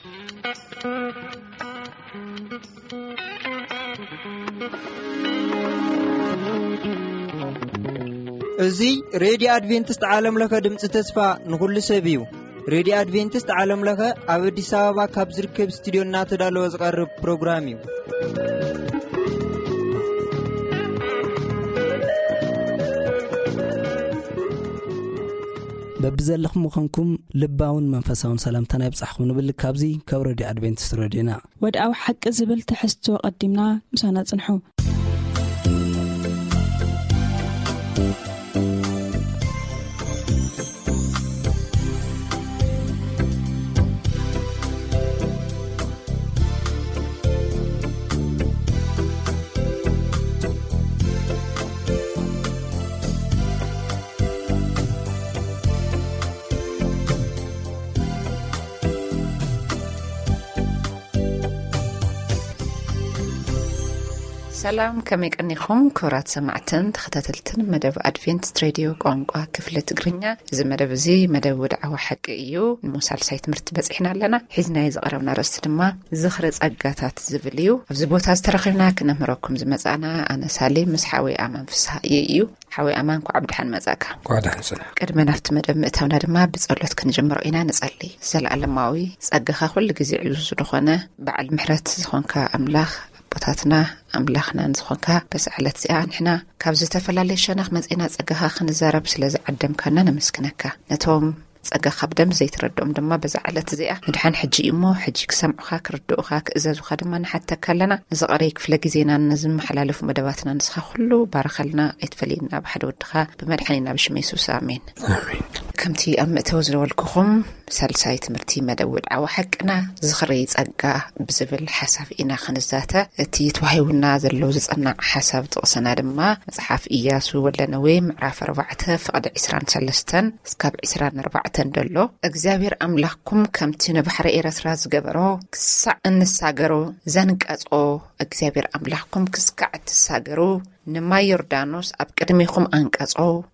እዚ ሬድዮ ኣድቬንቲስት ዓለም ለኸ ድምፂ ተስፋ ንኹሉ ሰብ እዩ። ሬድዮ ኣድቬንቲስት ዓለም ለኸ ኣብ ኣዲስ ኣበባ ካብ ዝርከብ ስቱዲዮ እናተዳለወ ዝቐርብ ፕሮግራም እዩ። በብዘለኹም ምዃንኩም ልባውን መንፈሳውን ሰላምታና ይብጻሕኹም ንብል። ካብዚ ካብ ሬድዮ ኣድቬንቲስት ሬድዮና። ወድኣዊ ሓቂ ዝብል ትሕዝቶ ቀዲምና ምሳና ጽንሑ። ሰላም፣ ከመይ ቀኒኹም ክቡራት ሰማዕትን ተኸታተልትን መደብ ኣድቬንቲስት ሬድዮ ቋንቋ ክፍሊ ትግርኛ? እዚ መደብ እዚ መደብ ወድዓዊ ሓቂ እዩ። ንሞ ሳልሳይ ትምህርቲ በጺሕና ኣለና። ሒዝናዮ ዝቐረብና ኣርእስቲ ድማ ዝኽሪ ጸጋታት ዝብል እዩ። ኣብዚ ቦታ ዝተረኺብና ክነምህረኩም ዝመጻና ኣነ ሳሌም ምስ ሓወይ ኣማን ፍስሃየ እዩ። ሓወይ ኣማን፣ እንኳዕ ብድሓን መጻእካ። እንኳዕ ደሓን ጽናሕ። ቅድሚ ናብቲ መደብ ምእታውና ድማ ብጸሎት ክንጅምሮ ኢና። ንጸሊ። ዘለኣለማዊ ጸጋኻ ኩሉ ግዜ ዕዙዝ ዝኾነ በዓል ምሕረት ዝኾንካ ኣምላኽ፣ ኣቦታትና ኣምላኽናን ዝኾንካ፣ በዚ ዕለት እዚኣ ንሕና ካብ ዝተፈላለየ ሸነኽ መጺና ጸጋኻ ክንዛረብ ስለ ዝዓደምካና ነመስግነካ። ነቶም ጸጋኻ ብደንቢ ዘይትረድኦም ድማ በዛ ዕለት እዚኣ ምድሓን ሕጂ እዩ እሞ፣ ሕጂ ክሰምዑኻ፣ ክርድኡኻ፣ ክእዘዙኻ ድማ ንሓተካ ኣለና። ነዚ ቀረይ ክፍለ ግዜናን ነዚ መሓላለፉ መደባትና ንስኻ ኩሉ ባርኸልና፣ ኣይትፈለየና ብሓደ ወድኻ ብመድሓኒና ብሽም የሱስ፣ ኣሜን። ኣሜን። ከምቲ ኣብ መእተዊ ዝበልኩኹም፣ ሳልሳይ ትምህርቲ መደብ ወድዓዊ ሓቅና ዝኽሪ ጸጋ ብዝብል ሓሳብ ኢና ክንዛተ። እቲ ተዋሂቡና ዘሎ ዝጸናዕ ሓሳብ ጥቕስና ድማ መጽሓፍ ኢያሱ ወልደነዌ ምዕራፍ ኣርባዕተ ፍቕዲ ዕስራን ሰለስተን እስካብ ዕስራን ኣርባዕተን ደሎ። እግዚኣብሔር ኣምላኽኩም ከምቲ ንባሕሪ ኤረትራ ዝገበሮ ክሳዕ እንሳገሮ ዘንቀጾ፣ እግዚኣብሔር ኣምላኽኩም ክስካዕ እትሳገሩ ንማይ ዮርዳኖስ ኣብ ቅድሜኹም ኣንቀጾ።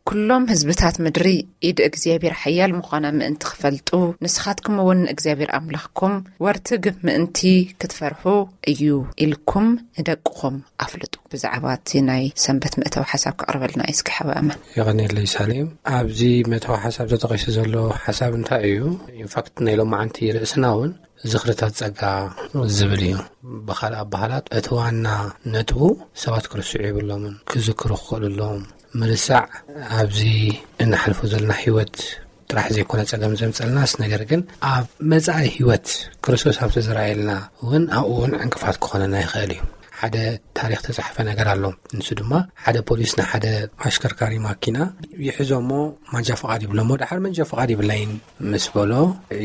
ኩሎም ህዝብታት ምድሪ ኢድ እግዚኣብሔር ሓያል ምዃና ምእንቲ ክፈልጡ፣ ንስኻትኩም እውን ንእግዚኣብሔር ኣምላኽኩም ወርትግ ምእንቲ ክትፈርሑ እዩ ኢልኩም ንደቅኹም ኣፍልጡ። ብዛዕባ እቲ ናይ ሰንበት መእተዊ ሓሳብ ከቕርበልና እዩ እስኪ ሓወይ ኣማን። የቐንየለይ ሳሌም። ኣብዚ መእተዊ ሓሳብ ተጠቒሱ ዘሎ ሓሳብ እንታይ እዩ? ኢንፋክት ናይ ሎማዓንቲ ርእስና እውን ዝኽርታት ጸጋ ዝብል እዩ። ብኻልእ ኣበሃህላ እቲ ዋና ነጥቡ ሰባት ክርስዑ የብሎምን፣ ክዝክሩ ክኽእሉ ኣለዎም። ምርሳዕ ኣብዚ እንሓልፎ ዘለና ህይወት ጥራሕ ዘይኮነ ጸገም ዘምጸልናስ፣ ነገር ግን ኣብ መጻኢ ህይወት ክርስቶስ ኣብ ተዘራየልና እውን ኣብኡ እውን ዕንቅፋት ክኾነና ይኽእል እዩ። ሓደ ታሪኽ ተጻሕፈ ነገር ኣሎ። ንሱ ድማ ሓደ ፖሊስ ንሓደ ኣሽከርካሪ ማኪና ይሕዞ እሞ ማንጃ ፍቓድ ይብሎ እሞ፣ ደሓር መንጃ ፍቓድ ይብለይን ምስ በሎ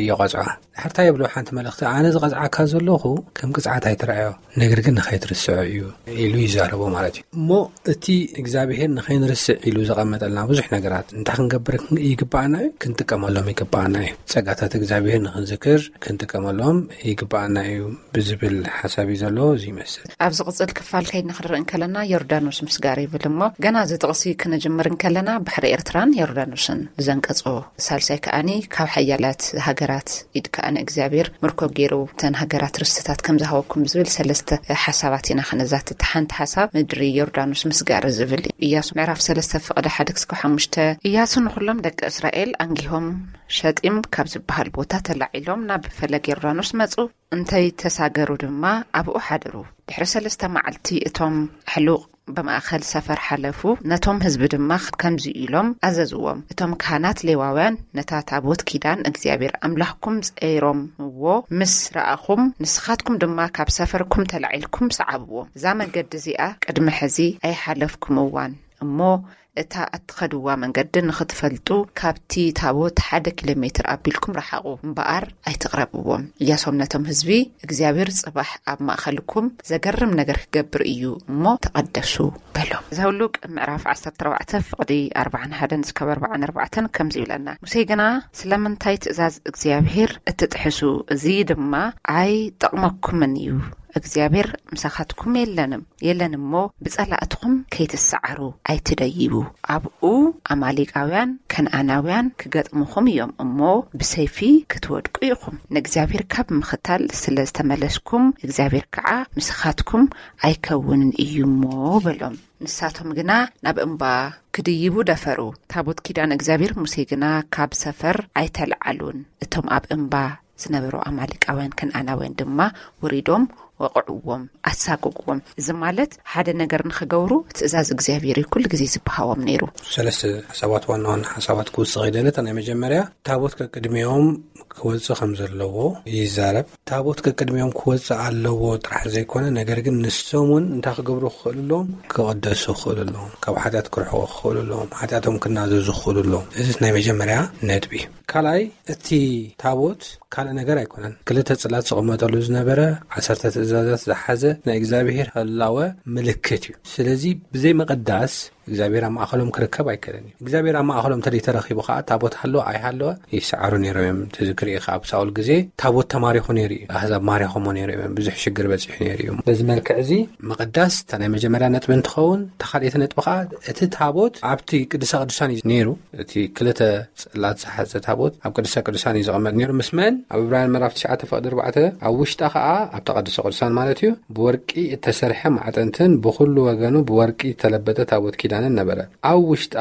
ይቐጽዖ። ድሕርታ የብሎ ሓንቲ መልእኽቲ፣ ኣነ ዝቐጽዓካ ዘለኹ ከም ቅጽዓት ኣይትርኣዮ፣ ነገር ግን ንኸይትርስዖ እዩ ኢሉ ይዛረቦ ማለት እዩ። እሞ እቲ እግዚኣብሔር ንኸይንርስዕ ኢሉ ዘቐመጠልና ብዙሕ ነገራት እንታይ ክንገብር ይግባኣና እዩ? ክንጥቀመሎም ይግባኣና እዩ። ጸጋታት እግዚኣብሔር ንኽንዝክር ክንጥቀመሎም ይግባኣና እዩ ብዝብል ሓሳብ እዩ ዘለዎ። እዚ ይመስል። ኣብ ዝቕጽል ክፋል ከይድና ክንርኢ እንከለና ዮርዳኖስ ምስጋር ይብል እሞ፣ ገና እዚ ጥቕሲ ክንጅምር እንከለና ባሕሪ ኤርትራን ዮርዳኖስን ብዘንቀጾ፣ ሳልሳይ ከኣኒ ካብ ሓያላት ሃገራት ኢድ ከኣ ንእግዚኣብሔር ምርኮ ገይሩ እተን ሃገራት ርስትታት ከም ዝሃበኩም ዝብል ሰለስተ ሓሳባት ኢና ክነዛትት። ሓንቲ ሓሳብ ምድሪ ዮርዳኖስ ምስጋር ዝብል እዩ። ኢያሱ ምዕራፍ ሰለስተ ፍቕዲ ሓደ ክስካብ ሓሙሽተ። ኢያሱ ንኹሎም ደቂ እስራኤል ኣንጊሆም ሸጢም ካብ ዝበሃል ቦታ ተላዒሎም ናብ ፈለግ ዮርዳኖስ መጹ። እንተይተሳገሩ ድማ ኣብኡ ሓደሩ። ድሕሪ ሰለስተ መዓልቲ እቶም ኣሕሉቕ ብማእከል ሰፈር ሓለፉ። ነቶም ህዝቢ ድማ ከምዚ ኢሎም ኣዘዝዎም፣ እቶም ካህናት ሌዋውያን ነታ ታቦት ኪዳን እግዚኣብሔር ኣምላኽኩም ጸይሮምዎ ምስ ረኣኹም፣ ንስኻትኩም ድማ ካብ ሰፈርኩም ተላዒልኩም ሰዓብዎም። እዛ መገዲ እዚኣ ቅድሚ ሕዚ ኣይሓለፍኩምዋን እሞ፣ እታ እትኸድዋ መንገዲ ንኽትፈልጡ፣ ካብቲ ታቦት ሓደ ኪሎ ሜትር ኣቢልኩም ረሓቑ እምበኣር ኣይትቕረብዎም። ኢያሶም ነቶም ህዝቢ፣ እግዚኣብሔር ጽባሕ ኣብ ማእከልኩም ዘገርም ነገር ክገብር እዩ እሞ ተቐደሱ በሎም። ዘውሉቅ ምዕራፍ ዓሰርተ ኣርባዕተ ፍቕዲ ኣርባዓን ሓደን እስካብ ኣርባዓን ኣርባዕተን ከምዚ ይብለና፣ ሙሴ ግና፣ ስለምንታይ ትእዛዝ እግዚኣብሔር እትጥሕሱ? እዚ ድማ ኣይጠቕመኩምን እዩ። እግዚኣብሔር ምሳኻትኩም የለንም የለን እሞ፣ ብጸላእትኹም ከይትሰዓሩ ኣይትደይቡ። ኣብኡ ኣማሌቃውያን ከነኣናውያን ክገጥሙኹም እዮም እሞ፣ ብሰይፊ ክትወድቁ ኢኹም። ንእግዚኣብሔር ካብ ምኽታል ስለ ዝተመለስኩም እግዚኣብሔር ከዓ ምሳኻትኩም ኣይከውንን እዩ እሞ በሎም። ንሳቶም ግና ናብ እምባ ክድይቡ ደፈሩ። ታቦት ኪዳን እግዚኣብሔር ሙሴ ግና ካብ ሰፈር ኣይተለዓሉን። እቶም ኣብ እምባ ዝነበሩ ኣማሌቃውያን ከነኣናውያን ድማ ወሪዶም ወቕዕዎም፣ ኣሳጎግዎም። እዚ ማለት ሓደ ነገር ንኽገብሩ ትእዛዝ እግዚኣብሔር እዩ ኩሉ ግዜ ዝበሃዎም ነይሩ። ሰለስተ ሓሳባት፣ ዋና ዋና ሓሳባት ክውስኽ ይደለ። እታ ናይ መጀመርያ ታቦት ከቅድሚኦም ክወፅእ ከም ዘለዎ ይዛረብ። ታቦት ከቅድሚኦም ክወፅእ ኣለዎ ጥራሕ ዘይኮነ፣ ነገር ግን ንሶም እውን እንታይ ክገብሩ ክኽእሉ ኣለዎም? ክቕደሱ ክኽእሉ ኣለዎም። ካብ ሓጢኣት ክርሕቑ ክኽእሉ ኣለዎም። ሓጢኣቶም ክናዘዙ ክኽእሉ ኣለዎም። እዚ ናይ መጀመርያ ነጥቢ። ካልኣይ፣ እቲ ታቦት ካልእ ነገር ኣይኮነን። ክልተ ጽላት ዝቕመጠሉ ዝነበረ፣ ዓሰርተ ትእዛዛት ዝሓዘ ናይ እግዚኣብሔር ህላወ ምልክት እዩ። ስለዚ ብዘይ ምቕዳስ እግዚኣብሔር ኣብ ማእኸሎም ክርከብ ኣይከለን እዩ። እግዚኣብሔር ኣብ ማእኸሎም እንተደይ ተረኺቡ ከዓ፣ ታቦት ሃለወ ኣይሃለወ ይሰዓሩ ነይሮም እዮም። ትዝክር ኢኻ፣ ኣብ ሳኦል ግዜ ታቦት ተማሪኹ ነይሩ እዩ። ኣህዛብ ማሪኾሞ ነይሮም እዮም። ብዙሕ ሽግር በፂሑ ነይሩ እዩ። በዚ መልክዕ እዚ ምቕዳስ እታ ናይ መጀመርያ ነጥቢ እንትኸውን፣ እታ ካልኣይቲ ነጥቢ ከዓ እቲ ታቦት ኣብቲ ቅድሳ ቅዱሳን እዩ ነይሩ። እቲ ክልተ ጽላት ዝሓዘ ታቦት ኣብ ቅድስተ ቅዱሳን እዩ ዝቐመጥ ነይሩ። ምስ መን? ኣብ ዕብራውያን ምዕራፍ ትሽዓተ ፍቕዲ ኣርባዕተ፣ ኣብ ውሽጣ ኸኣ፣ ኣብታ ቅድስተ ቅዱሳን ማለት እዩ፣ ብወርቂ እተሰርሐ ማዕጠንትን ብኹሉ ወገኑ ብወርቂ እተለበጠ ታቦት ኪዳንን ነበረ። ኣብ ውሽጣ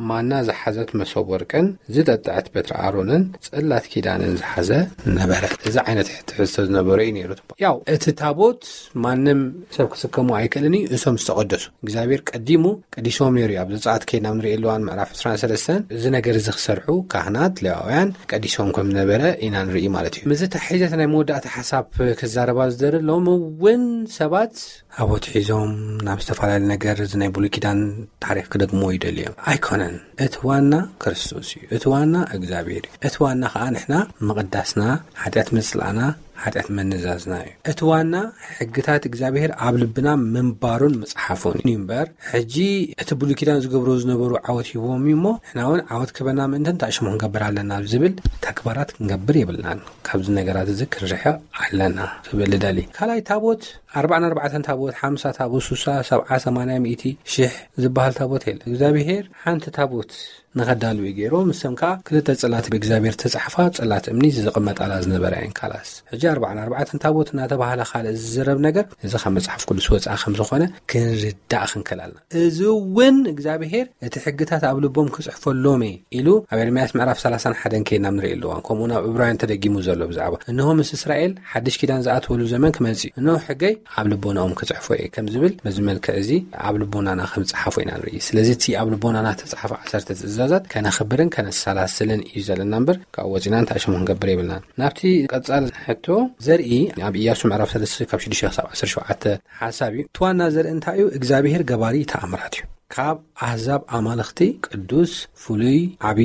ማና ዝሓዘት መሶብ ወርቅን ዝጠጥዐት በትሪ ኣሮንን ጽላት ኪዳንን ዝሓዘ ነበረ። እዚ ዓይነት ትሕዝቶ ዝነበሮ እዩ ነይሩ። ያው እቲ ታቦት ማንም ሰብ ክስከሞ ኣይክእልን እዩ፣ እሶም ዝተቐደሱ። እግዚኣብሔር ቀዲሙ ቀዲሶም ነይሩ እዩ። ኣብ ዘጸኣት ከይድና ንርእየሉ እዋን ምዕራፍ ዕስራን ሰለስተን እዚ ነገር እዚ ክሰርሑ ካህናት፣ ሌዋውያን ቀዲሶም ከም ዝነበረ ኢና ንርኢ ማለት እዩ። ምስዚ ተሓሒዘ እቲ ናይ መወዳእታ ሓሳብ ክዛረባ ዝደሊ፣ ሎሚ እውን ሰባት ታቦት ሒዞም ናብ ዝተፈላለዩ ነገር እዚ ናይ ብሉይ ኪዳን ታሪኽ ክደግምዎ ይደልዩ እዮም። ኣይኮነን። እቲ ዋና ክርስቶስ እዩ። እቲ ዋና እግዚኣብሔር እዩ። እቲ ዋና ኸዓ ንሕና ምቕዳስና፣ ሓጢኣት ምጽላእና፣ ሓጢኣት ምንዛዝና እዩ። እቲ ዋና ሕግታት እግዚኣብሔር ኣብ ልብና ምንባሩን ምጽሓፉን እዩ እምበር፣ ሕጂ እቲ ብሉይ ኪዳን ዝገብሮ ዝነበሩ ዓወት ሂቦም እዩ እሞ፣ ንሕና እውን ዓወት ክበና ምእንትን እንታይ ሽሙ ክንገብር ኣለና ዝብል ተግባራት ክንገብር የብልናን። ካብዚ ነገራት እዚ ክንርሕቕ ኣለና ክብል እደሊ። ካልኣይ፣ ታቦት ኣርባዓን ኣርባዕተን ታቦት፣ ሓምሳ ታቦት፣ ሱሳ፣ ሰብዓ፣ ሰማንያ፣ ሚእቲ፣ ሽሕ ዝበሃል ታቦት የለን። እግዚኣብሔር ሓንቲ ታቦት ንኸዳልው እዩ ገይሩ። ምስም ከዓ ክልተ ጽላት ብእግዚኣብሔር ተጻሕፋ፣ ጽላት እምኒ ዝቕመጣላ ዝነበረ እየን። ካላስ፣ ሕጂ ኣርባዓን ኣርባዕተን ታቦት እናተባህለ ካልእ ዝዝረብ ነገር፣ እዚ ካብ መጽሓፍ ቅዱስ ወጻኢ ከም ዝኾነ ክንርዳእ ክንክእል ኣለና። እዚ እውን እግዚኣብሔር እቲ ሕግታት ኣብ ልቦም ክጽሕፈሎም እየ ኢሉ ኣብ ኤርምያስ ምዕራፍ ሰላሳን ሓደን ከይድና ንርኢ ኣለዋን። ከምኡ ናብ ዕብራውያን ተደጊሙ ዘሎ ብዛዕባ፣ "እንሆ ምስ እስራኤል ሓድሽ ኪዳን ዝኣትወሉ ዘመን ክመጽእ እዩ። እንሆ ሕገይ ኣብ ልቦናኦም ክጽሕፎ እየ" ከም ዝብል፣ በዚ መልክዕ እዚ ኣብ ልቦናና ከም ጸሓፎ ኢና ንርኢ። ስለዚ እቲ ኣብ ልቦናና ተጻሓፈ ዓሰርተ ትእዛዛት ከነኽብርን ከነሰላስልን እዩ ዘለና እምበር፣ ካብኡ ወጺና እንታይ ሽሙ ክንገብር የብልናን። ናብቲ ቀጻሊ ሕቶ ዘርኢ ኣብ ኢያሱ ምዕራፍ ሰለስተ ካብ ሽዱሽተ ክሳብ ዓሰርተ ሸውዓተ ሓሳብ እዩ። እቲ ዋና ዘርኢ እንታይ እዩ? እግዚኣብሔር ገባሪ ተኣምራት እዩ። ካብ ኣህዛብ ኣማልኽቲ ቅዱስ፣ ፍሉይ፣ ዓቢ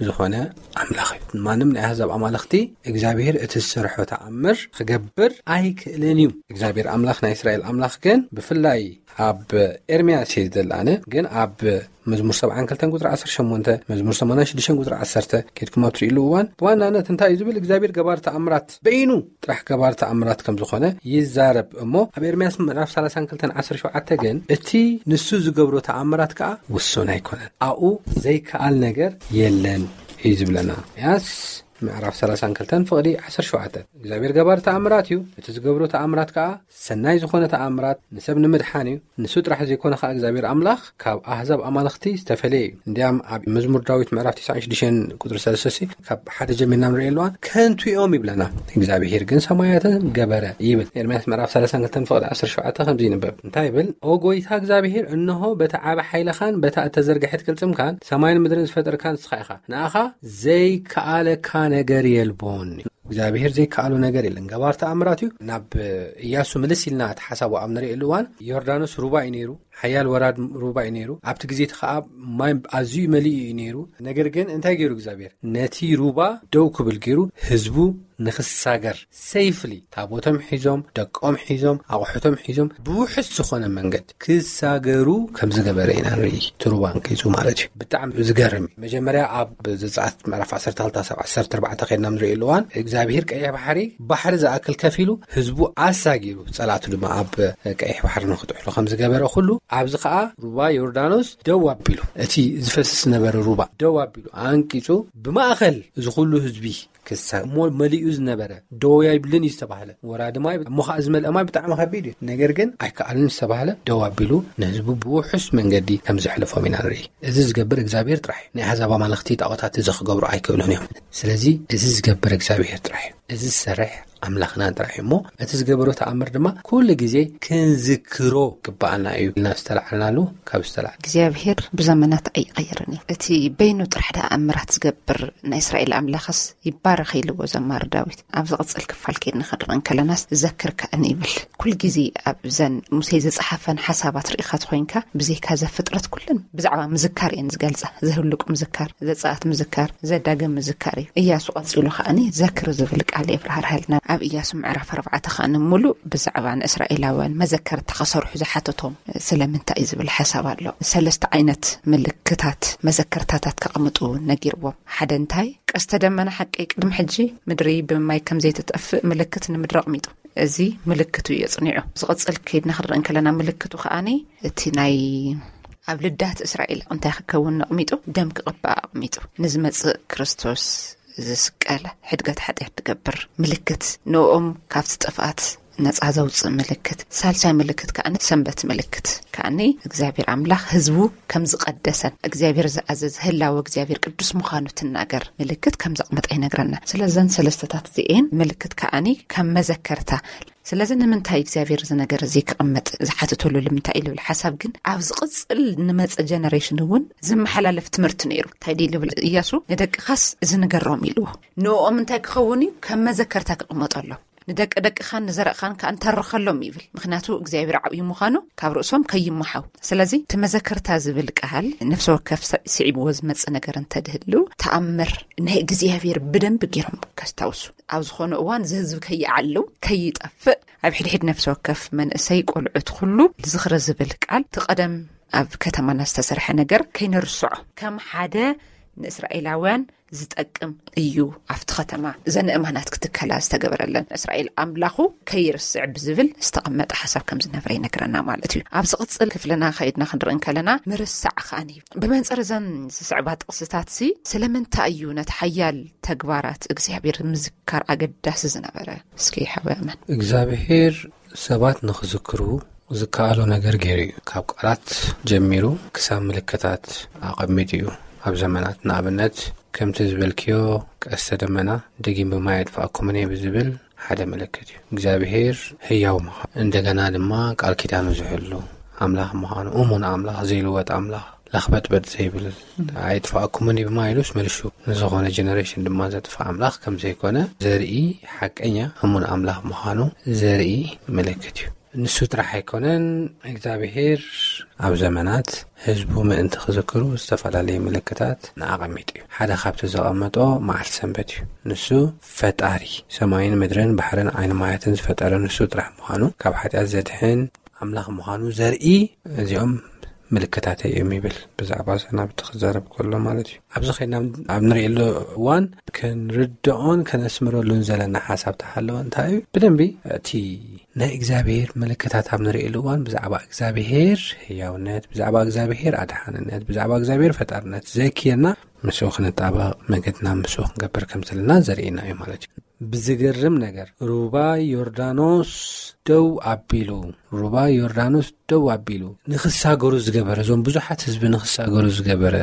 ዝኾነ ኣምላኽ እዩ። ማንም ናይ ኣህዛብ ኣማልኽቲ እግዚኣብሔር እቲ ዝሰርሖ ተኣምር ክገብር ኣይክእልን እዩ። እግዚኣብሔር ኣምላኽ ናይ እስራኤል ኣምላኽ ግን ብፍላይ ኣብ ኤርምያስ እየ ዝደሊ ኣነ፣ ግን ኣብ መዝሙር ሰብዓን ክልተን ቁጽሪ ዓሰርተ ሸሞንተ፣ መዝሙር ሰማንያን ሽዱሽተን ቁጽሪ ዓሰርተ ኬድኩም ኣብ ትርእይሉ እዋን፣ ብዋናነት እንታይ እዩ ዝብል? እግዚኣብሔር ገባር ተኣምራት በይኑ ጥራሕ ገባር ተኣምራት ከም ዝኾነ ይዛረብ እሞ፣ ኣብ ኤርምያስ ምዕራፍ ሰላሳን ክልተን ዓሰርተ ሸውዓተ ግን እቲ ንሱ ዝገብሮ ተኣምራት ከኣ ውሱን ኣይኮነን። ኣብኡ ዘይከኣል ነገር የለን እዩ ዝብለና። ኤርምያስ ምዕራፍ ሰላሳን ክልተን ፍቕዲ ዓሰርተ ሸውዓተ፣ እግዚኣብሔር ገባር ተኣምራት እዩ፣ እቲ ዝገብሮ ተኣምራት ከኣ ሰናይ ዝኾነ ተኣምራት ንሰብ ንምድሓን እዩ። ንሱ ጥራሕ ዘይኮነ ከኣ እግዚኣብሔር ኣምላኽ ካብ ኣህዛብ ኣማልኽቲ ዝተፈለየ እዩ። እንዲያም ኣብ መዝሙር ዳዊት ምዕራፍ ትስዓን ሽዱሽተን ቁጽሪ ሰለስተ፣ ካብ ሓደ ጀሚርና ንርኢ ኣለዋን፣ "ከንቱ እዮም" ይብለና። "እግዚኣብሔር ግን ሰማያትን ገበረ" ይብል። ኤርምያስ ምዕራፍ ሰላሳን ክልተን ፍቕዲ ዓሰርተ ሸውዓተ ከምዚ ይንበብ። እንታይ ይብል? "ኦ ጎይታ እግዚኣብሔር፣ እንሆ በታ ዓቢ ሓይልኻን በታ እተዘርግሐት ቅልጽምካን ሰማይን ምድርን ዝፈጠርካ ንስኻ ኢኻ። ንኣኻ ዘይከኣለካ ነገር የልቦን" እዩ። እግዚኣብሔር ዘይከኣሎ ነገር የለን። ገባር ተኣምራት እዩ። ናብ ኢያሱ ምልስ ኢልና እቲ ሓሳቡ ኣብ ንርእየሉ እዋን፣ ዮርዳኖስ ሩባ እዩ ነይሩ፣ ሓያል ወራድ ሩባ እዩ ነይሩ። ኣብቲ ግዜ እቲ ኸኣ ማይ ኣዝዩ መሊኡ እዩ ነይሩ። ነገር ግን እንታይ ገይሩ እግዚኣብሔር? ነቲ ሩባ ደው ክብል ገይሩ ህዝቡ ንክሳገር፣ ሴፍሊ ታቦቶም ሒዞም፣ ደቆም ሒዞም፣ ኣቑሑቶም ሒዞም ብውሑስ ዝኾነ መንገድ ክሳገሩ ከም ዝገበረ ኢና ንርኢ። እቲ ሩባ ኣንቂጹ ማለት እዩ። ብጣዕሚ ዝገርም እዩ። መጀመርያ ኣብ ዘጸኣት ምዕራፍ ዓሰርተ ክልተ ሳብ ዓሰርተ ኣርባዕተ ከይድና ንርእየሉ እዋን እግዚኣብሄር ቀይሕ ባሕሪ፣ ባሕሪ ዝኣክል ከፊሉ ህዝቡ ኣሳጊሩ፣ ጸላእቱ ድማ ኣብ ቀይሕ ባሕሪ ንክጥሕሉ ከም ዝገበረ ኩሉ፣ ኣብዚ ኸኣ ሩባ ዮርዳኖስ ደው ኣቢሉ፣ እቲ ዝፈስስ ዝነበረ ሩባ ደው ኣቢሉ ኣንቂጹ፣ ብማእኸል እዚ ኩሉ ህዝቢ ክሳ እሞ መሊኡ ዝነበረ ደው ኣይብልን እዩ ዝተባህለ። ወራዲ ማይ እሞ ኸዓ ዝመልአ ማይ ብጣዕሚ ከቢድ እዩ። ነገር ግን ኣይከኣልን ዝተባህለ ደው ኣቢሉ ንህዝቡ ብውሑስ መንገዲ ከም ዘሕለፎም ኢና ንርኢ። እዚ ዝገብር እግዚኣብሔር ጥራሕ እዩ። ናይ ኣሕዛብ ኣማልኽቲ ጣዖታት እዚ ክገብሩ ኣይክእሉን እዮም። ስለዚ እዚ ዝገብር እግዚኣብሔር ጥራሕ እዩ። እዚ ዝሰርሕ ኣምላኽና ጥራሕ እዩ። እሞ እቲ ዝገበሮ ተኣምር ድማ ኩሉ ግዜ ክንዝክሮ ግባኣና እዩ ኢልና ዝተላዕልናሉ ካብ ዝተላዕለ እግዚኣብሔር ብዘመናት ኣይቐየርን እዩ። እቲ በይኑ ጥራሕ ደኣ ኣምራት ዝገብር ናይ እስራኤል ኣምላኽስ ይባረኽ ኢልዎ ዘማሪ ዳዊት። ኣብ ዝቕጽል ክፋል ከይድና ክንርኢ እንከለናስ፣ "ዘክር ከኣኒ" ይብል። ኩል ግዜ ኣብዘን ሙሴ ዝጸሓፈን ሓሳባት ርኢኻ ተኾይንካ፣ ብዘይካ ዘፍጥረት ኩለን ብዛዕባ ምዝካር እየን ዝገልጻ። ዘህሉቅ ምዝካር፣ ዘጸኣት ምዝካር፣ ዘዳግም ምዝካር እዩ። እያሱ ቀጺሉ ከኣኒ ዘክር ዝብል ቃል የብርሃርሃልና። ኣብ እያሱ ምዕራፍ ኣርባዕተ ከኣኒ ሙሉእ ብዛዕባ ንእስራኤላውያን መዘከርታ ክሰርሑ ዝሓተቶም ስለምንታይ እዩ ዝብል ሓሳብ ኣሎ። ሰለስተ ዓይነት ምልክታት መዘከርታታት ከቐምጡ ነጊርዎም። ሓደ እንታይ? ቀስተ ደመና ሓቂ ቅድሚ ሕጂ ምድሪ ብማይ ከም ዘይትጠፍእ ምልክት ንምድሪ ኣቕሚጡ። እዚ ምልክቱ እዩ ኣጽኒዑ። ዝቕጽል ከይድና ክንርኢ እንከለና ምልክቱ ከኣኒ እቲ ናይ ኣብ ልዳት እስራኤል እንታይ ክከውን ኣቕሚጡ? ደም ክቕባእ ኣቕሚጡ። ንዝመጽእ ክርስቶስ ዝስቀል ሕድገት ሓጢኣት ትገብር ምልክት፣ ንኦም ካብቲ ጥፍኣት ነጻ ዘውጽእ ምልክት። ሳልሳይ ምልክት ከኣኒ ሰንበት ምልክት። ከኣኒ እግዚኣብሔር ኣምላኽ ህዝቡ ከም ዝቐደሰን እግዚኣብሔር ዝኣዘዘ ህላወ እግዚኣብሔር ቅዱስ ምዃኑ ትናገር ምልክት ከም ዘቕመጠ ይነግረና። ስለዘን ሰለስተታት እዚኤን ምልክት ከኣኒ ከም መዘከርታ። ስለዚ ንምንታይ እግዚኣብሔር እዚ ነገር እዚ ክቕመጥ ዝሓትተሉ ልምንታይ እዩ ልብል ሓሳብ ግን ኣብ ዝቕጽል ንመጸ ጀነሬሽን እውን ዝመሓላለፍ ትምህርቲ ነይሩ። እንታይ ድዩ ልብል እያሱ? "ንደቅኻስ እዚ ንገሮም" ኢልዎ። ንኦም እንታይ ክኸውን እዩ? ከም መዘከርታ ክቕመጠሎም። "ንደቂ ደቅኻን ንዘርእኻን ከኣ ንተርኸሎም" ይብል። ምኽንያቱ እግዚኣብሔር ዓብዩ ምዃኑ ካብ ርእሶም ከይመሓው። ስለዚ እቲ መዘከርታ ዝብል ቃል ነፍሲ ወከፍ ስ-፣ ስዒብዎ ዝመጽእ ነገር እንተድህሉ፣ ተኣምር ናይ እግዚኣብሔር ብደንቢ ገይሮም ከስታውሱ። ኣብ ዝኾነ እዋን እዚ ህዝቢ ከይዓሉ፣ ከይጠፍእ፣ ኣብ ሕድሕድ ነፍሲ ወከፍ መንእሰይ፣ ቆልዑት፣ ኩሉ ዝኽሪ ዝብል ቃል እቲ ቀደም ኣብ ከተማና ዝተሰርሐ ነገር ከይንርስዖ፣ ከም ሓደ ንእስራኤላውያን ዝጠቅም እዩ። ኣብቲ ከተማ እዘን እማናት ክትከላ ዝተገበረለን እስራኤል ኣምላኹ ከይርስዕ ብዝብል ዝተቐመጠ ሓሳብ ከም ዝነበረ ይነግረና ማለት እዩ። ኣብ ዝቕጽል ክፍልና ከይድና ክንርኢ እንከለና ምርሳዕ ከኣን እዩ። ብመንጽር እዘን ዝስዕባ ጥቕስታት ሲ ስለምንታይ እዩ ነቲ ሓያል ተግባራት እግዚኣብሔር ምዝካር ኣገዳሲ ዝነበረ? እስኪ ሓወይ ኣመን። እግዚኣብሔር ሰባት ንኽዝክሩ ዝከኣሎ ነገር ገይሩ እዩ። ካብ ቃላት ጀሚሩ ክሳብ ምልክታት ኣቐሚጡ እዩ። ኣብ ዘመናት ንኣብነት ከምቲ ዝበልክዮ ቀስተ ደመና ደጊም ብማይ ኣጥፋእኩምን እየ ብዝብል ሓደ ምልክት እዩ። እግዚኣብሔር ህያው ምዃኑ እንደገና ድማ ቃል ኪዳኑ ዝሕሉ ኣምላኽ ምዃኑ፣ እሙን ኣምላኽ፣ ዘይልወጥ ኣምላኽ፣ ለኽበጥበጥ ዘይብል፣ ኣይጥፋእኩምን እዩ ብማይ ኢሉስ መልሹ ንዝኾነ ጀነሬሽን ድማ ዘጥፋእ ኣምላኽ ከም ዘይኮነ ዘርኢ፣ ሓቀኛ እሙን ኣምላኽ ምዃኑ ዘርኢ ምልክት እዩ። ንሱ ጥራሕ ኣይኮነን፣ እግዚኣብሔር ኣብ ዘመናት ህዝቡ ምእንቲ ክዝክሩ ዝተፈላለዩ ምልክታት ንኣቐሚጡ እዩ። ሓደ ካብቲ ዘቐመጦ መዓልቲ ሰንበት እዩ። ንሱ ፈጣሪ ሰማይን ምድርን ባሕርን ዓይኒ ማያትን ዝፈጠረ ንሱ ጥራሕ ምዃኑ፣ ካብ ሓጢኣት ዘድሕን ኣምላኽ ምዃኑ ዘርኢ፣ እዚኦም ምልክታተይ እዮም ይብል። ብዛዕባ ሰናብቲ ክዛረብ ከሎ ማለት እዩ። ኣብዚ ኸይድና ኣብ ንርእየሉ እዋን ክንርድኦን ከነስምረሉን ዘለና ሓሳብ ተሃለወ እንታይ እዩ? ብደንቢ እቲ ናይ እግዚኣብሔር ምልክታት ኣብ ንርእየሉ እዋን ብዛዕባ እግዚኣብሔር ህያውነት፣ ብዛዕባ እግዚኣብሔር ኣድሓንነት፣ ብዛዕባ እግዚኣብሔር ፈጣርነት ዘኪርና ምስኡ ክንጣበቕ፣ መገድና ምስኡ ክንገብር ከም ዘለና ዘርእየና እዩ ማለት እዩ። ብዝገርም ነገር ሩባ ዮርዳኖስ ደው ኣቢሉ፣ ሩባ ዮርዳኖስ ደው ኣቢሉ ንኽሳገሩ ዝገበረ፣ እዞም ብዙሓት ህዝቢ ንኽሳገሩ ዝገበረ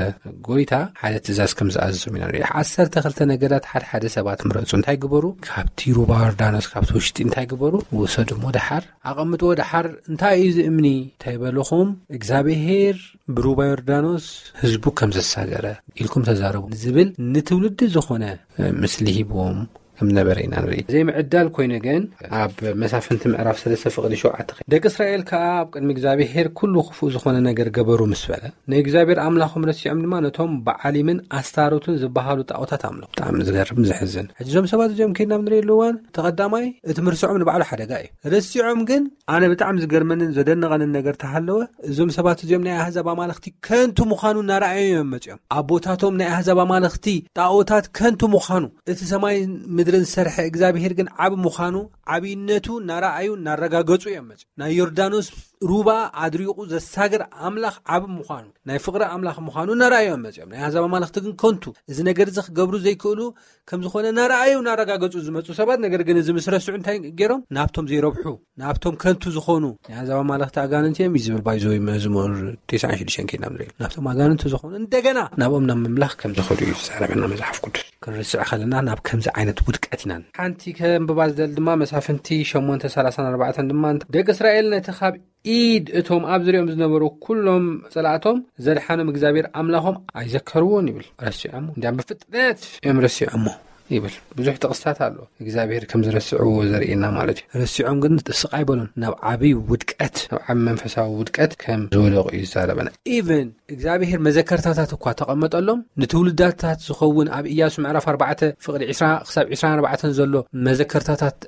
ጎይታ ሓደ ትእዛዝ ከም ዝኣዘዞም ኢና ንርኢ። ዓሰርተ ክልተ ነገዳት ሓደ ሓደ ሰባት ምረጹ። እንታይ ግበሩ? ካብቲ ሩባ ዮርዳኖስ፣ ካብቲ ውሽጢ እንታይ ግበሩ? ውሰዱ እሞ ደሓር ኣቐምጥዎ። ደሓር እንታይ እዩ እዚ እምኒ? እንታይ በልኹም? እግዚኣብሄር ብሩባ ዮርዳኖስ ህዝቡ ከም ዘሳገረ ኢልኩም ተዛረቡ ዝብል ንትውልዲ ዝኾነ፣ እ፣ ምስሊ ሂብዎም። ከም ነበረ ኢና ንርኢ። ዘይምዕዳል ኮይኑ ግን ኣብ መሳፍንቲ ምዕራፍ ሰለስተ ፍቕዲ ሸውዓተ ደቂ እስራኤል ከኣ ኣብ ቅድሚ እግዚኣብሔር ኩሉ ክፉእ ዝኾነ ነገር ገበሩ ምስ በለ ንእግዚኣብሔር ኣምላኾም ረሲዖም ድማ ነቶም በዓሊምን ኣስታሮትን ዝበሃሉ ጣዖታት ኣምለኹ። ብጣዕሚ ዝገርም ዘሕዝን። ሕጂ እዞም ሰባት እዚኦም ከይድና ኣብ ንርእየሉ እዋን ተቐዳማይ እቲ ምርሳዖም ንባዕሉ ሓደጋ እዩ። ረሲዖም ግን ኣነ ብጣዕሚ ዝገርመንን ዘደንቐንን ነገር ተሃለወ እዞም ሰባት እዚኦም ናይ ኣህዛብ ኣማልኽቲ ከንቱ ምዃኑ እናረኣዩ እዮም መጺኦም። ኣቦታቶም ናይ ኣህዛብ ኣማልኽቲ ጣዖታት ከንቱ ምዃኑ እቲ ሰማይ ምድርን ዝሰርሐ እግዚኣብሔር ግን ዓቢ ምዃኑ ዓብይነቱ እናረኣዩ እናረጋገጹ እዮም መጺኦም። ናይ ዮርዳኖስ ሩባ ኣድሪቑ ዘሳግር ኣምላኽ ዓቢ ምዃኑ ናይ ፍቕሪ ኣምላኽ ምዃኑ እናረኣዩ እዮም መጺኦም። ናይ ኣህዛብ ኣማልኽቲ ግን ከንቱ እዚ ነገር እዚ ክገብሩ ዘይክእሉ ከም ዝኾነ እናረኣዩ እናረጋገጹ ዝመጹ ሰባት ነገር ግን እዚ ምስ ረስዑ እንታይ ገይሮም ናብቶም ዘይረብሑ ናብቶም ከንቱ ዝኾኑ ናይ ኣህዛብ ኣማልኽቲ ኣጋንንቲ እዮም እዩ ዝብል ባይዘወይ መዝሙር ተስዓን ሽዱሽተን ከይድና ንርኢ ናብቶም ኣጋንንቲ ዝኾኑ እንደገና ናብኦም ናብ ምምላኽ ከም ዝኸዱ እዩ ዝዛረበና መጽሓፍ ቅዱስ። ክንርስዕ ከለና ናብ ከምዚ ዓይነት ውድቀት ኢና። ሓንቲ ከንብባ ዝደሊ ድማ መሳፍንቲ ሸሞንተ ሰላሳን ኣርባዕተን ድማ እንተ- ደቂ እስራኤል ነቲ ካብ ኢድ እቶም ኣብ ዝሪኦም ዝነበሩ ኩሎም ጸላእቶም ዘድሓኖም እግዚኣብሔር ኣምላኾም ኣይዘከርዎን ይብል። ረሲዖሞ እንዲያም ብፍጥነት እዮም ረሲዖሞ ይብል። ብዙሕ ጥቕስታት ኣሎ እግዚኣብሔር ከም ዝረስዕዎ ዘርእየና ማለት እዩ። ረሲዖም ግን ስቕ ኣይበሉን፣ ናብ ዓብይ ውድቀት፣ ናብ ዓብ መንፈሳዊ ውድቀት ከም ዝወደቑ እዩ ዝዛረበና። ኢቨን እግዚኣብሔር መዘከርታታት እኳ ተቐመጠሎም ንትውልዳታት ዝኸውን ኣብ ኢያሱ ምዕራፍ ኣርባዕተ ፍቕዲ ዕስራ ክሳብ ዕስራን ኣርባዕተን ዘሎ መዘከርታታት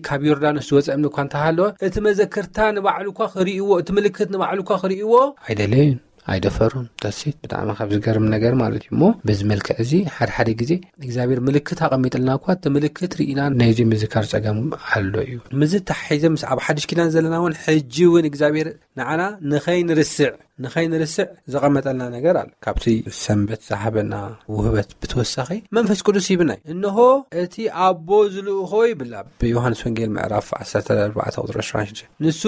ካብ ዮርዳኖስ ዝወፀ እምኒ እኳ እንተሃለወ እቲ መዘከርታ ንባዕሉ እኳ ክርእይዎ እቲ ምልክት ንባዕሉ እኳ ክርእይዎ ኣይደለዩን፣ ኣይደፈሩን። ደሴት ብጣዕሚ ካብ ዝገርም ነገር ማለት እዩ። እሞ በዚ መልክዕ እዚ ሓደ ሓደ ግዜ እግዚኣብሔር ምልክት ኣቐሚጥልና እኳ እቲ ምልክት ርኢና ናይዚ ምዝካር ጸገም ኣሎ እዩ። ምዚ ተሓሒዘ ምስ ኣብ ሓድሽ ኪዳን ዘለና እውን ሕጂ እውን እግዚኣብሔር ንዓና ንኸይንርስዕ ንኸይንርስዕ ዘቐመጠልና ነገር ኣሎ። ካብቲ ሰንበት ዝሃበና ውህበት ብተወሳኺ መንፈስ ቅዱስ ይብናይ። እንሆ እቲ ኣቦ ዝልእኾ ይብል ኣብ ዮሃንስ ወንጌል ምዕራፍ ዓሰርተ ኣርባዕተ ቁፅሪ ዕስራን ሽዱሽተን። ንሱ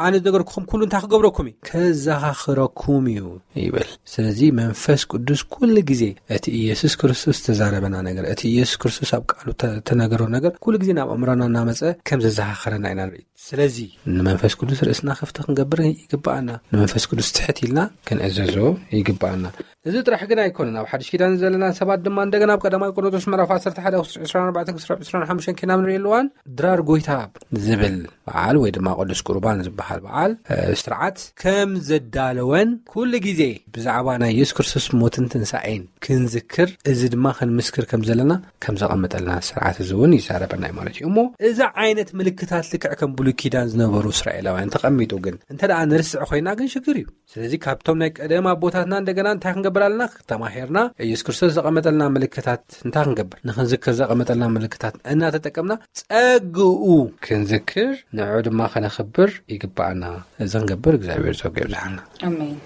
ኣነ ዝነገርኩኹም ኩሉ እንታይ ክገብረኩም እዩ? ከዘኻኽረኩም እዩ ይብል። ስለዚ መንፈስ ቅዱስ ኩሉ ግዜ እቲ ኢየሱስ ክርስቶስ ዝተዛረበና ነገር እቲ ኢየሱስ ክርስቶስ ኣብ ቃሉ ተነገሮ ነገር ኩሉ ግዜ ናብ ኣእምሮና እናመፀ ከም ዘዘኻኽረና ኢና ንርኢ። ስለዚ ንመንፈስ ቅዱስ ርእስና ክፍቲ ክንገብር ይግብኣና። ንመንፈስ ቅዱስ ትሕት ኢልና ክንእዘዞ ይግብኣና። እዚ ጥራሕ ግን ኣይኮነን። ኣብ ሓድሽ ኪዳን ዘለና ሰባት ድማ እንደገና ኣብ ቀዳማዊ ቆሮንቶስ ምዕራፍ ዓሰርተ ሓደ ዕስራን ኣርባዕተን ክሳብ ዕስራን ሓሙሽተን ኪና ንርኢ ኣለዋን ድራር ጎይታ ዝብል በዓል ወይ ድማ ቅዱስ ቁርባን ዝበሃል በዓል ስርዓት ከም ዘዳለወን ኩሉ ግዜ ብዛዕባ ናይ የሱስ ክርስቶስ ሞትን ትንሳኤን ክንዝክር እዚ ድማ ክንምስክር ከም ዘለና ከም ዘቐመጠልና ስርዓት እዚ እውን ይዛረበና እዩ ማለት እዩ። እሞ እዚ ዓይነት ምልክታት ልክዕ ከም ብሉይ ኪዳን ዝነበሩ እስራኤላውያን ተቐሚጡ ግን እንተ ደኣ ንርስዕ ኮይና ግን ሽግር እዩ። ስለዚ ካብቶም ናይ ቀደም ኣቦታትና እንደገና እንታይ ክንገብር ኣለና? ተማሂርና ኢየሱስ ክርስቶስ ዘቐመጠልና ምልክታት እንታይ ክንገብር? ንኽንዝክር ዘቐመጠልና ምልክታት እናተጠቀምና ጸግኡ ክንዝክር ንዑ ድማ ከነኽብር ይግባኣና። እዚ ክንገብር እግዚኣብሔር ጸጉ የብዝሓልና። ኣሜን።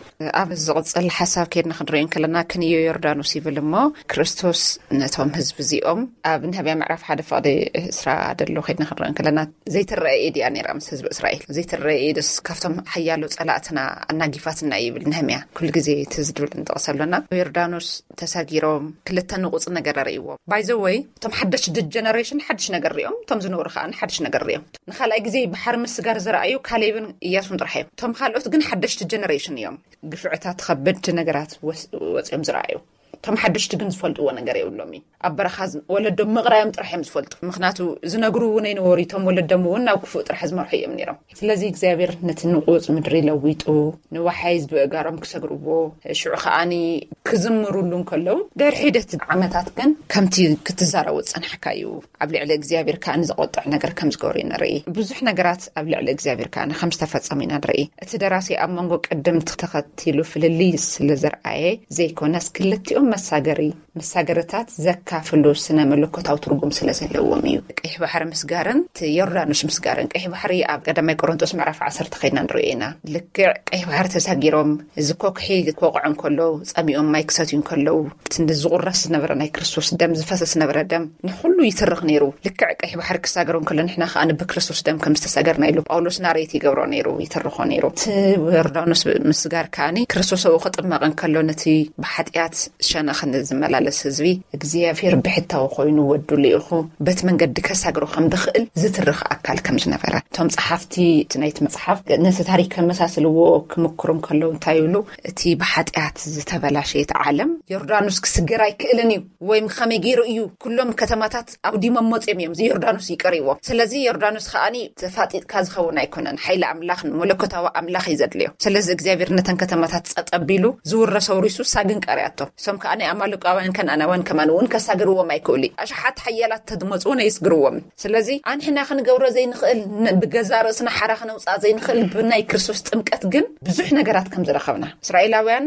ኣብ ዝቕጽል ሓሳብ ከይድና ክንሪኦ እንከለና ክንዮ ዮርዳኖስ ይብል እሞ ክርስቶስ ነቶም ህዝቢ እዚኦም ኣብ ነህብያ ምዕራፍ ሓደ ፍቕዲ እስራ ደሎ ከይድና ክንሪኦ እንከለና ዘይትረአ ኢድ እያ ነይራ ምስ ህዝቢ እስራኤል። ዘይትረአ ኢድስ ካብቶም ሓያሎ ጸላእትና ኣናጊፋትና ይብል ነህምያ። ኩሉ ግዜ እቲ ዝድብል ንጠቕስ ኣሎና ዮርዳኖስ ተሳጊሮም ክልተ ንቑጽ ነገር ርእይዎም። ባይዘወይ እቶም ሓደሽ ጀነሬሽን ሓድሽ ነገር ሪኦም እቶም ዝነብሩ ከዓ ሓድሽ ነገር ሪኦም። ንካልኣይ ግዜ ባሕሪ ምስጋር ዝረኣዩ ካሌብን እያሱን ጥራሕ እዮም። እቶም ካልኦት ግን ሓደሽቲ ጀነሬሽን እዮም። ግፍዕታት ከበድቲ ነገራት ወፂኦም ዝረኣዩ። እቶም ሓደሽቲ ግን ዝፈልጥዎ ነገር የብሎም እዩ። ኣብ በረኻ ወለዶም ምቕራዮም ጥራሕ እዮም ዝፈልጡ። ምክንያቱ ዝነግሩ እውን ኣይነበሩ። እቶም ወለዶም እውን ናብ ክፉእ ጥራሕ ዝመርሑ እዮም ነይሮም። ስለዚ እግዚኣብሔር ነቲ ንቑፅ ምድሪ ለዊጡ ንወሓይዝ ብእጋሮም ክሰግርዎ ሽዑ ከዓኒ ክዝምሩሉ እንከለዉ ድሕሪ ሒደት ዓመታት ግን ከምቲ ክትዛረቡ ዝፀናሕካ እዩ። ኣብ ልዕሊ እግዚኣብሔር ከዓኒ ዘቆጥዕ ነገር ከም ዝገበሩ ኢና ንርኢ። ብዙሕ ነገራት ኣብ ልዕሊ እግዚኣብሔር ከዓኒ ከም ዝተፈጸሙ ኢና ንርኢ። እቲ ደራሲ ኣብ መንጎ ቅድም ተኸቲሉ ፍልልይ ስለ ዘርኣየ ዘይኮነስ ክልቲኦም መሳገሪ መሳገርታት ዘካፍሉ ስነ መለኮታዊ ትርጉም ስለ ዘለዎም እዩ። ቀይሕ ባሕሪ ምስጋርን እቲ ዮርዳኖስ ምስጋርን ቀይሕ ባሕሪ ኣብ ቀዳማይ ቆሮንቶስ ምዕራፍ ዓሰርተ ከይድና ንሪኦ ኢና። ልክዕ ቀይሕ ባሕሪ ተሳጊሮም እዚ ኮክሒ ክወቕዖ እንከሎ ጸሚኦም ማይ ክሰትዩ እንከለዉ እቲ ዝቑረስ ዝነበረ ናይ ክርስቶስ ደም ዝፈሰስ ዝነበረ ደም ንኹሉ ይትርኽ ነይሩ። ልክዕ ቀይሕ ባሕሪ ክሳገሩ እንከሎ ንሕና ከኣ ብክርስቶስ ደም ከም ዝተሳገርና ኢሉ ጳውሎስ ናሬት ይገብሮ ነይሩ ይትርኾ ነይሩ። እቲ ዮርዳኖስ ምስጋር ከኣኒ ክርስቶስ ኣብኡ ክጥመቕ እንከሎ ነቲ ብሓጢኣት ናኸነ ዝመላለስ ህዝቢ እግዚኣብሔር ብሕታዊ ኮይኑ ወዱ ልኢኹ በቲ መንገዲ ከሳግሮ ከም ድኽእል ዝትርኽ ኣካል ከም ዝነበረ፣ እቶም ጸሓፍቲ እቲ ናይቲ መጽሓፍ ነቲ ታሪክ ከመሳስልዎ ክምክሩ ከለዉ እንታይ ይብሉ? እቲ ብሓጢኣት ዝተበላሸየት ዓለም ዮርዳኖስ ክስገር ኣይክእልን እዩ፣ ወይም ከመይ ገይሩ እዩ? ኩሎም ከተማታት ኣውዲሞም መጽዮም እዮም፣ እዚ ዮርዳኖስ ይቀርዎም። ስለዚ ዮርዳኖስ ከኣኒ ተፋጢጥካ ዝኸውን ኣይኮነን። ሓይሊ ኣምላኽ፣ መለኮታዊ ኣምላኽ እዩ ዘድልዮ። ስለዚ እግዚኣብሔር ነተን ከተማታት ጸጥ ኣቢሉ ዝውረስ ኣውሪሱ፣ ሳግን ቀርያቶ። እሶም ከኣ ናይ ኣማልቃውያን ከነኣናውያን ከማን እውን ከሳግርዎም ኣይክእሉ። ኣሽሓት ሓያላት ተድመጹ እውን ኣይስግርዎም። ስለዚ ኣንሕና ክንገብሮ ዘይንኽእል፣ ን-፣ ብገዛ ርእስና ሓራ ክነውጽኣ ዘይንኽእል፣ ብናይ ክርስቶስ ጥምቀት ግን ብዙሕ ነገራት ከም ዝረኸብና፣ እስራኤላውያን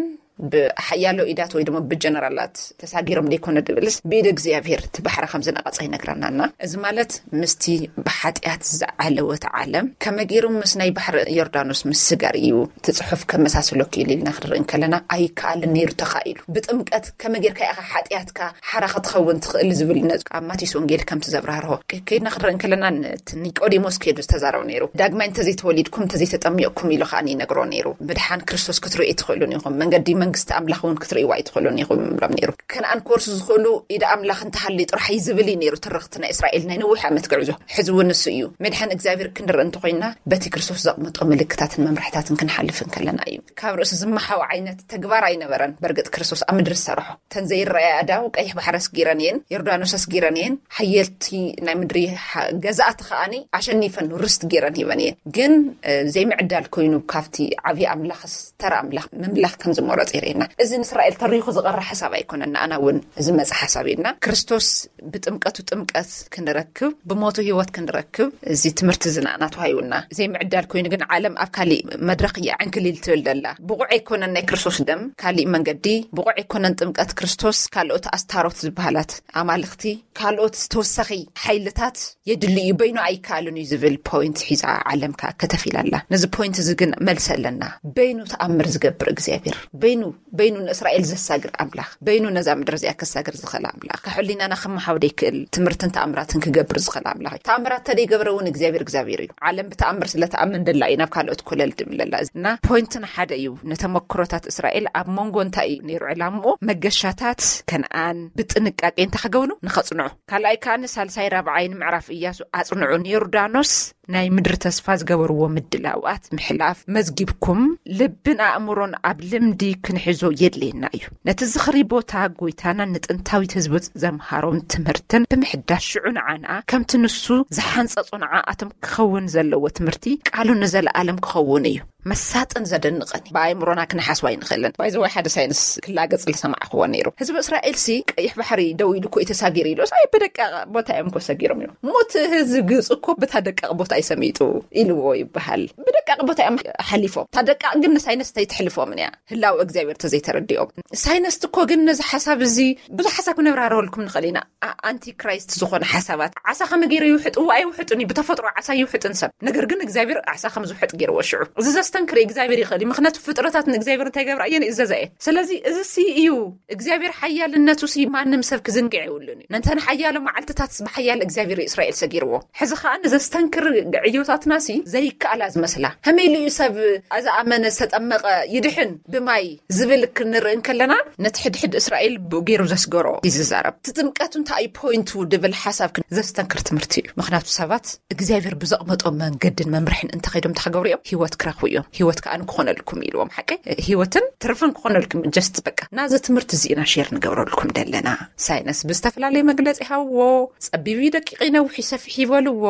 ብሓያሎ ኢዳት ወይ ድማ ብጀነራላት ተሳጊሮም ደይኮነ ድብልስ፣ ብኢድ እግዚኣብሔር እቲ ባሕሪ ከም ዝነቐጸ ይነግረናና። እዚ ማለት ምስቲ ብሓጢኣት ዝዓለወት ዓለም ከመይ ገይሩ ምስ ናይ ባሕሪ ዮርዳኖስ ምስጋር እዩ እቲ ጽሑፍ ከመሳስሎ ክኢሉ ኢልና ክንርኢ እንከለና፣ ኣይከኣልን ነይሩ፣ ተኻኢሉ። ብጥምቀት ከመይ ጌርካ ኢኻ ሓጢኣትካ ሓራ ክትኸውን ትኽእል ዝብል ነጥቢ ኣብ ማቴዎስ ወንጌል ከምቲ ዘብራህርሆ ከ-፣ ከይድና ክንርኢ እንከለና፣ ን-፣ እቲ ኒቆዲሞስ ከይዱ ዝተዛረበ ነይሩ። ዳግማይ እንተዘይተወሊድኩም፣ እንተዘይተጠሚቕኩም ኢሉ ከኣ ይነግሮ ነይሩ። ምድሓን ክርስቶስ ክትርእዩ ኣይትኽእሉን ኢኹም፣ መንገዲ መንግስቲ ኣምላኽ እውን ክትርእይዋ ኣይትኽእሉን ኢኹም ይብሎም ነይሩ። ከነኣን ክወርሱ ዝኽእሉ ኢድ ኣምላኽ እንተሃልዩ ጥራሕ እዩ ዝብል እዩ ነይሩ ትርኽቲ ናይ እስራኤል ናይ ነዊሕ ዓመት ጉዕዞ። ሕዚ እውን ንሱ እዩ። ምድሓን እግዚኣብሔር ክንርኢ እንተኾይና በቲ ክርስቶስ ዘቕመጦ ምልክታትን መምርሕታትን ክንሓልፍ እንከለና እዩ። ካብ ርእሲ ዝመሓው ዓይነት ተግባር ኣይነበረን። በርግጥ ክርስቶስ ኣብ ምድሪ ዝሰርሖ፣ እተን ዘይረኣያ ኣእዳው ቀይሕ ባሕሪ ኣስጊረን እየን፣ ዮርዳኖስ ኣስጊረን እየን፣ ሓየልቲ ናይ ምድሪ ሓ-፣ ገዛእቲ ከኣኒ ኣሸኒፈን ርስት ጌረን ሂበን እየን። ግን፣ እ፣ ዘይምዕዳል ኮይኑ ካብቲ ዓብዪ ኣምላኽ፣ ተራ ኣምላኽ ምምላኽ ከም ዝመረጸ የርእየና። እዚ ንእስራኤል ተሪኹ ዝቐረ ሓሳብ ኣይኮነን፣ ንኣና እውን ዝመጽእ ሓሳብ እየና። ክርስቶስ ብጥምቀቱ ጥምቀት ክንረክብ፣ ብሞቱ ህይወት ክንረክብ፣ እዚ ትምህርቲ እዚ ንኣና ተዋሂቡና። ዘይምዕዳል ኮይኑ ግን ዓለም ኣብ ካሊእ መድረኽ እያ ዕንክሊል ትብል ዘላ። ብቑዕ ኣይኮነን ናይ ክርስቶስ ደም፣ ካሊእ መንገዲ፣ ብቑዕ ኣይኮነን ጥምቀት ክርስቶስ፣ ካልኦት ኣስታሮት ዝበሃላት ኣማልኽቲ፣ ካልኦት ተወሳኺ ሓይልታት የድሊ እዩ፣ በይኑ ኣይከኣልን እዩ ዝብል ፖይንት ሒዛ ዓለም ከኣ ከተፊላ ኣላ። ነዚ ፖይንት እዚ ግን መልሲ ኣለና። በይኑ ተኣምር ዝገብር እግዚኣብሔር፣ በይኑ፣ በይኑ ንእስራኤል ዘሳግር ኣምላኽ፣ በይኑ ነዛ ምድሪ እዚኣ ከሳግር ዝኽእል ኣምላኽ፣ ካብ ሕሊናና ክመሓው ዘይክእል ትምህርትን ተኣምራትን ክገብር ዝኽእል ኣምላኽ እዩ። ተኣምራት ተደይገብረ እውን እግዚኣብሔር እግዚኣብሔር እዩ። ዓለም ብተኣምር ስለ ተኣምን ደላ እዩ ናብ ካልኦት ኮለል ድብል ኣላ። እና ፖይንትና ሓደ እዩ። ንተመክሮታት እስራኤል ኣብ መንጎ እንታይ እዩ ነይሩ ዕላምኡ? መገሻታት ከነኣን ብጥንቃቄ እንታይ ክገብሩ ንኸጽንዑ። ካልኣይ ከኣ ንሳልሳይ ራብዓይን ምዕራፍ ኢያሱ ኣጽንዑ። ንዮርዳኖስ ናይ ምድሪ ተስፋ ዝገበርዎ ምድላዋት ምሕላፍ መዝጊብኩም ልብን ኣእምሮን ኣብ ልምዲ ክንሕዞ የድልየና እዩ። ነቲ ዝኽሪ ቦታ ጎይታና ንጥንታዊት ህዝቡ ዘምሃሮም ትምህርትን ብምሕዳስ ሽዑ ንዓና ከምቲ ንሱ ዝሓንጸጾ ንዓኣቶም ክኸውን ዘለዎ ትምህርቲ ቃሉ ንዘለኣለም ክኸውን እዩ። መሳጥን ዘደንቕን እዩ። ብኣእምሮና ክንሓስቦ ኣይንኽእልን። ባይዘዋይ ሓደ ሳይንስ ክላገጽ ዝሰማዕክዎ ነይሩ። ህዝቢ እስራኤል ሲ ቀይሕ ባሕሪ ደው ኢሉ እኮ እዩ ተሳጊሩ ኢሉ። ኣይ ብደቃቕ ቦታ እዮም እኮ ሰጊሮም እዮም። ሞት ህዝቢ ግብፂ እኮ ብታ ደቃቕ ቦታ እዩ ሰሚጡ ኢልዎ ይበሃል። ብደቃቕ ቦታ እዮም ሓሊፎም። እታ ደቃቕ ግን ንሳይንስ ኣይትሕልፎምን እያ። ህላወ እግዚኣብሔር ተዘይተረዲኦም። ሳይንስት እኮ ግን ነዚ ሓሳብ እዚ ብዙሕ ሓሳብ ክነብራረበልኩም ንኽእል ኢና። ኣ-፣ ኣንቲ ክራይስት ዝኾነ ሓሳባት ዓሳ ከመይ ገይሩ ይውሕጥዎ? ኣይውሕጥን እዩ። ብተፈጥሮ ዓሳ ይውሕጥን ሰብ። ነገር ግን እግዚኣብሔር ዓሳ ከም ዝውሕጥ ገይርዎ ሽዑ። እዚ ዘስተንክር እግዚኣብሔር ይኽእል እዩ። ምኽንያቱ ፍጥረታት ንእግዚኣብሔር እንታይ ይገብራ እየን? ይእዘዛ እየን። ስለዚ እዚ ሲ እዩ እግዚኣብሔር ሓያልነቱ ሲ ማንም ሰብ ክዝንግዕ የብሉን እዩ። ነንተን ሓያሎ መዓልትታት ብሓያል እግዚኣብሔር እስራኤል ሰጊርዎ። ሕዚ ኸኣ ንዘስተንክር ዕዮታትና ሲ ዘይከኣላ ዝመስላ። ከመይ ኢሉ እዩ ሰብ ኣዝኣመነ ዝተጠመቐ ይድሕን ብማይ ዝብል ክንርኢ እንከለና፣ ነቲ ሕድሕድ እስራኤል ብኡ ገይሩ ዘስገሮ እዩ ዝዛረብ። እቲ ጥምቀት እንታይ እዩ ፖይንቱ ድብል ሓሳብ ክን-፣ ዘስተንክር ትምህርቲ እዩ። ምኽንያቱ ሰባት እግዚኣብሔር ብዘቕመጦ መንገድን መምርሕን እንተኸይዶም ተኸገብሩ እዮም፣ ህይወት ክረኽቡ እዮም። ህይወት ከኣ ክኾነልኩም ኢልዎም። ሓቂ ህይወትን ትርፍን ክኾነልኩም ጀስት በቃ። ናዚ ትምህርቲ እዚ ኢና ሼር ንገብረልኩም ደለና። ሳይንስ ብዝተፈላለየ መግለጺ ይሃብዎ፣ ጸቢብ እዩ፣ ደቂቕ እዩ፣ ነዊሕ እዩ፣ ሰፊሕ ይበልዎ።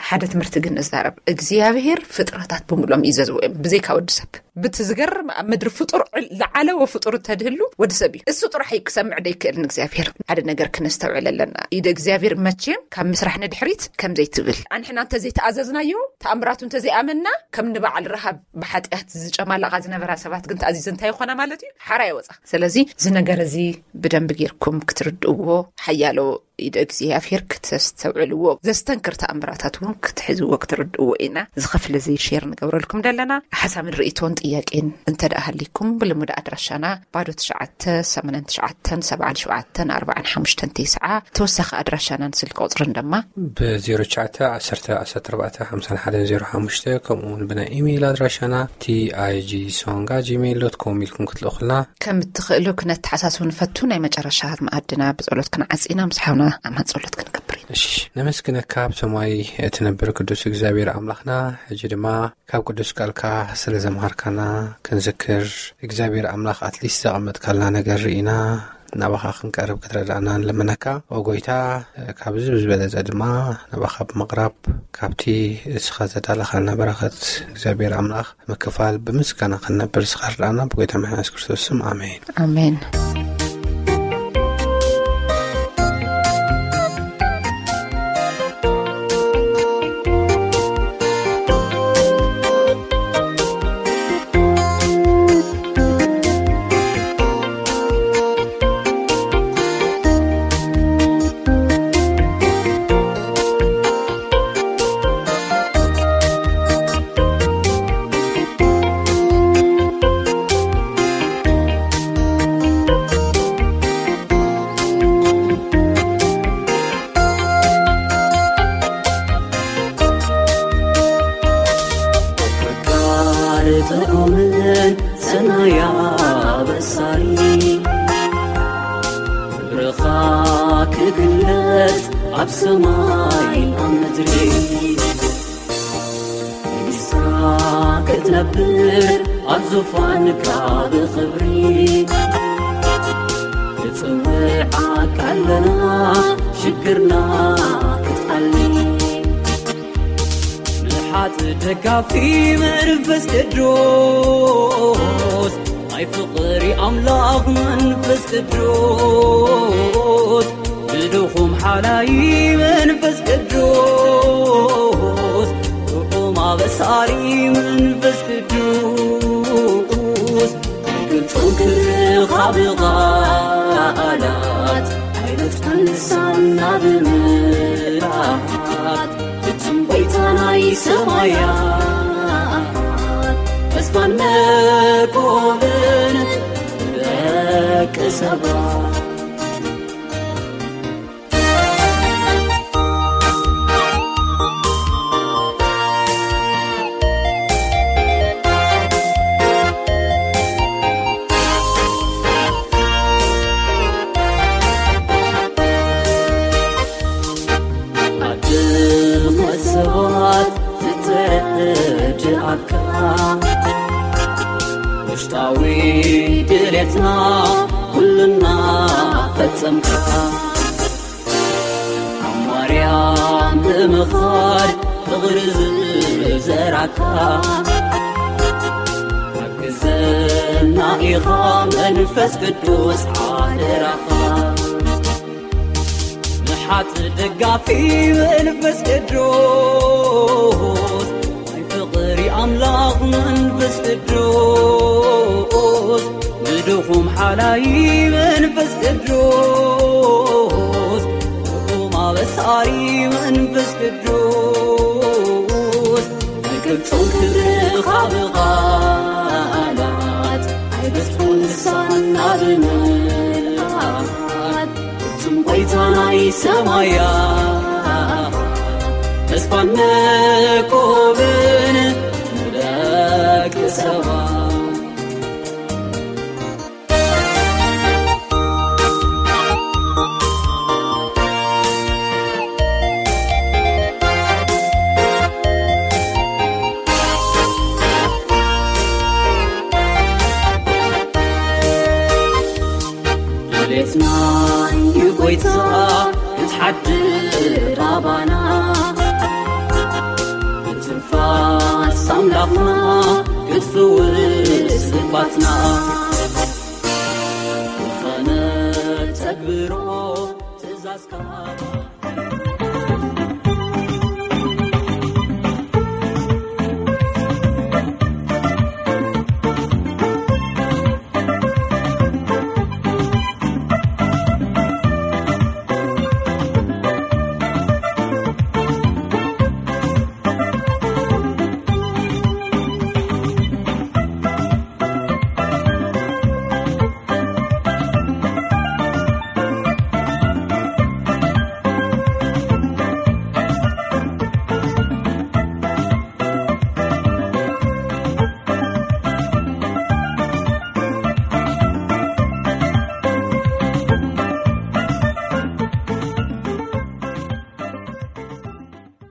ሓደ ትምህርቲ ግን ንዛረብ። እግዚኣብሔር ፍጥረታት ብምሎም ይዘዝዎ እዮም፣ ብዘይካ ወዲ ሰብ። ብቲ ዝገርም ኣብ ምድሪ ፍጡር ዕል-፣ ዝዓለወ ፍጡር እንተድህሉ ወዲ ሰብ እዩ። እሱ ጥራሕ እዩ ክሰምዕ ደይክእል ንእግዚኣብሔር። ሓደ ነገር ክነስተውዕል ኣለና። ኢደ እግዚኣብሔር መቼም ካብ ምስራሕ ንድሕሪት ከም ዘይትብል። ኣንሕና እንተዘይተኣዘዝናዮ፣ ተኣምራቱ እንተዘይኣመንና፣ ከም ንበዓል ረሃብ ብሓጢኣት ዝጨማለቓ ዝነበራ ሰባት ግን ተኣዚዘ እንታይ ይኾና ማለት እዩ? ሓራ ይወጻ። ስለዚ እዚ ነገር እዚ ብደንቢ ጌርኩም ክትርድእዎ ሓያሎ ኢደ እግዚኣብሔር ክተስተውዕልዎ፣ ዘስተንክር ተኣምራታት እውን ክትሕዝዎ ክትርድእዎ ኢና። እዚ ክፍሊ እዚ ሼር ንገብረልኩም ዘለና ሓሳብን ርእይቶን ጥያቄን እንተ ደኣ ሃሊኩም፣ ብልሙድ ኣድራሻና ባዶ ትሽዓተ ሰማንያን ትሽዓተን ሰብዓን ሸውዓተን ኣርባዓን ሓሙሽተን ተስዓ፣ ተወሳኺ ኣድራሻናን ስልኪ ቁጽርን ድማ ብ ዜሮ ትሽዓተ ዓሰርተ ዓሰርተ ኣርባዕተ ሓምሳን ሓደን ዜሮ ሓሙሽተ፣ ከምኡ እውን ብናይ ኢሜይል ኣድራሻና ቲ ኣይ ጂ ሶንግ ኣት ጂሜይል ዶት ኮም ኢልኩም ክትልእኹልና ከም እትኽእሉ ክነተሓሳስብ ንፈቱ። ናይ መጨረሻ መኣድና ብጸሎት ክንዓጽ ኢና። ምስ ሓውና ኣማን ጸሎት ክንገብር ኢና። እሺ፣ ነመስግነካ ኣብ ሰማይ እትነብር ቅዱስ እግዚኣብሔር ኣምላኽና። ሕጂ ድማ ካብ ቅዱስ ቃልካ ስለ ዘምሃርካና ክንዝክር፣ እግዚኣብሔር ኣምላኽ ኣትሊስት ዘቐመጥካልና ነገር ርኢና ናባኻ ክንቀርብ ክትረዳእና ንልምነካ። ኦ ጎይታ፣ ካብዚ ብዝበለጸ ድማ ናባኻ ብምቕራብ ካብቲ እስኻ ዘዳለኻልና በረኸት እግዚኣብሔር ኣምላኽ ምክፋል ብምስጋና ክንነብር እስኻ ርዳእና። ብጎይታ መድሓኒ የሱስ ክርስቶስ ስም፣ ኣሜን። ኣሜን። ፈቃር ጥዑምን ሰናያ በሳሪ፣ ክብርኻ ክግለጽ ኣብ ሰማይ ኣብ ምድሪ። ንግስና ክትነብር ኣብ ዙፋንካ ብኽብሪ። ንጽውዓካ ኣለና ሽግርና ክትኣሊ። ንሓት ደጋፊ መንፈስ ቅዱስ፣ ናይ ፍቕሪ ኣምላኽ መንፈስ ቅዱስ፣ ብድኹም ሓላይ መንፈስ ቅዱስ፣ ጥዑም ኣበሳሪ መንፈስ ቅዱስ፣ ኣይገልጾን ክርኻ ብቓላት፣ ኣይበጽሓን ልሳንና ብምላኣት፣ ፍጹም ጎይታ ናይ ሰማያት፣ ተስፋን መኮብን ደቂ ሰባት። ኣድመ ሰባት ዝተረድኣካ፣ ውሽጣዊ ድሌትና ኩልና ፈጸምካ። ኣብ ማርያም ብምኻድ ፍቕሪ ዝዘራካ፣ ሓግዘና ኢኻ መንፈስ ቅዱስ ሓደራኻ። ንሓት ደጋፊ መንፈስ ቅዱስ፣ ናይ ፍቕሪ ኣምላኽ መንፈስ ቅዱስ፣ ንድኹም ሓላይ መንፈስ ቅዱስ፣ ጥዑም ኣበሳሪ መንፈስ ቅዱስ፣ ኣይገልጾን ክብርኻ ብቓላት፣ ኣይበጽሖን ልሳንና ብምላኣት፣ ፍጹም ጎይታ ናይ ሰማያት፣ ተስፋን መኮብን ንደቂ ሰባት። ድሌትና እዩ ጎይታ ክትሓድር ኣባና፣ ትንፋስ ኣምላኽና ክትፍውስ ልባትና።